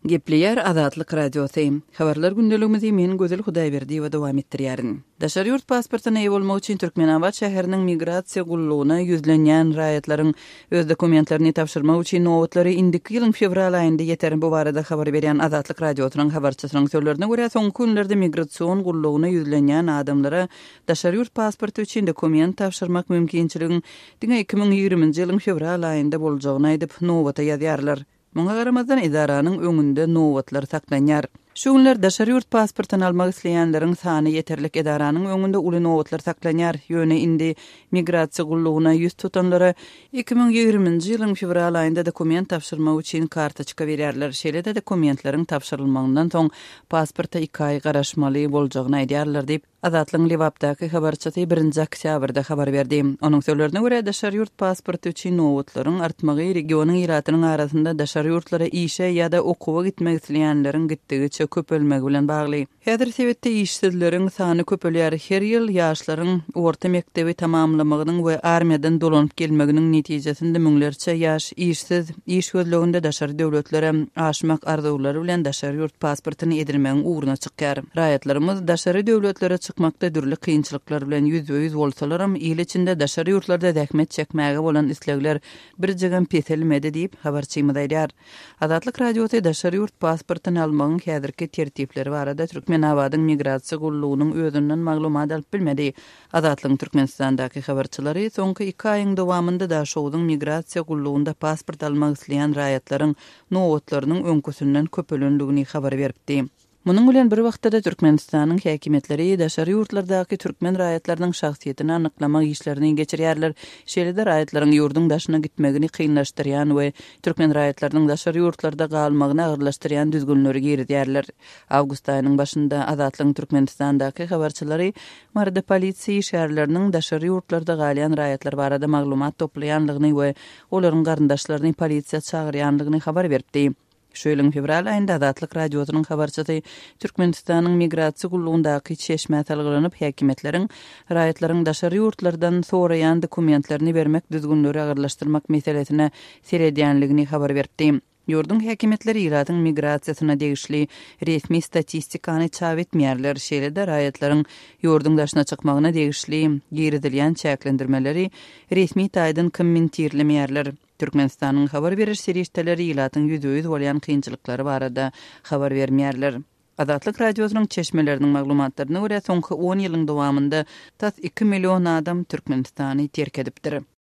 Gepleýär Azatlyk Radiosy. Habarlar gündeligimizi men Gözel Hudaýberdiýewa dowam etdirýärin. Daşary ýurt pasportyna eýe bolmak üçin Türkmenabat şäheriniň migrasiýa gullugyna ýüzlenýän raýatlaryň öz dokumentlerini tabşyrmak üçin nobatlary indiki ýylyň fewral aýynda ýeter. Bu barada habar berýän Azatlyk Radiosynyň habarçysynyň sözlerine görä, soňky günlerde migrasion gullugyna ýüzlenýän adamlara daşary ýurt pasporty üçin dokument tabşyrmak mümkinçiligiň diňe 2020-nji ýylyň fewral aýynda boljagyny aýdyp, nobata ýazýarlar. Muňa garamazdan, edaranyň öňünde nobatlar saklanýar. Şu günler daşary ýurt pasportyny almak isleýänleriň sany ýeterlik edaranyň öňünde uly nobatlar saklanýar. Ýöne indi migrasiýa gullugyna ýüz tutanlara 2020-nji ýylyň fewral aýynda dokument tabşyrmak üçin kartoçka berýärler. Şeýle-de dokumentleriň tabşyrylmagyndan soň pasporta iki aý garaşmaly boljagyny aýdýarlar diýip, Azatlygyň Lebapdaky habarçysy birinji oktýabrda habar berdi. Onuň sözlerine görä, daşary ýurt pasporty üçin nobatlaryň artmagy regionyň ilatynyň arasynda daşary ýurtlara işe ýa-da okuwa gitmek isleýänleriň gitdigiçe köpelmegi bilen bagly. Häzir sebitde işsizleriň sany köpelýär. Her ýyl ýaşlaryň orta mekdebi tamamlamagynyň we armiýadan dolanyp gelmeginiň netijesinde müňlerçe ýaş işsiz, iş gözleginde daşary döwletlere aşmak arzuwlary bilen daşary ýurt pasportyny edinmegiň ugruna çykýar. Raýatlarymyz daşary döwletlere çykmakda dürli kynçylyklar bilen ýüzbe-ýüz bolsalaram, il içinde daşary ýurtlarda zähmet çekmäge bolan islegler birjigem peselmedi diýip, habarçymyz aýdýar. Azatlyk Radiosy daşary ýurt pasportyny almagyň häzirki tertipleri barada Türkmenabadyň migrasiýa gullugynyň özünden maglumat alyp bilmedi. Azatlygyň Türkmenistandaky habarçylary soňky iki aýyň dowamynda Daşogzuň migrasiýa gullugynda pasport almak isleýän raýatlaryň nobatlarynyň öňküsinden köpelendigini habar beripdi. Munuň bilen bir wagtda-da Türkmenistanyň häkimiýetleri daşary ýurtlardaky türkmen raýatlarynyň şahsyýetini anyklamak işlerini geçirýärler, şeýle-de raýatlaryň ýurduň daşyna gitmegini kynlaşdyrýan we türkmen raýatlarynyň daşary ýurtlarda galmagyny agyrlaşdyrýan düzgünleri girizýärler. Awgust aýynyň başynda Azatlygyň Türkmenistandaky habarçylary Maryda polisiýa işgärleriniň daşary ýurtlarda galýan raýatlar barada maglumat toplaýanlygyny we olaryň garyndaşlaryny polisiýa çagyrýanlygyny habar beripdi. Şu ýylyň fewral aýynda Azatlyk Radiosynyň habarçysy Türkmenistanyň Migrasiýa gullugyndaky çeşmä salgylanyp, häkimiýetleriň raýatlaryň daşary ýurtlardan soraýan dokumentlerini bermek düzgünleri agyrlaşdyrmak meselesine seredýänligini habar beripdi. Ýurduň häkimiýetleri ilatyň migrasiýasyna degişli resmi statistikany çap etmeýärler, şeýle-de raýatlaryň ýurduň daşyna çykmagyna degişli girizilýän çäklendirmeleri resmi taýdan kommentirlemeýärler. Türkmenistanyň habar beriş serişdeleri ilatyň ýüzbe-ýüz bolýan kynçylyklary barada habar bermeýärler. Azatlyk Radiosynyň çeşmeleriniň maglumatlaryna görä, soňky on ýylyň dowamynda tas iki million adam Türkmenistany terk edipdir.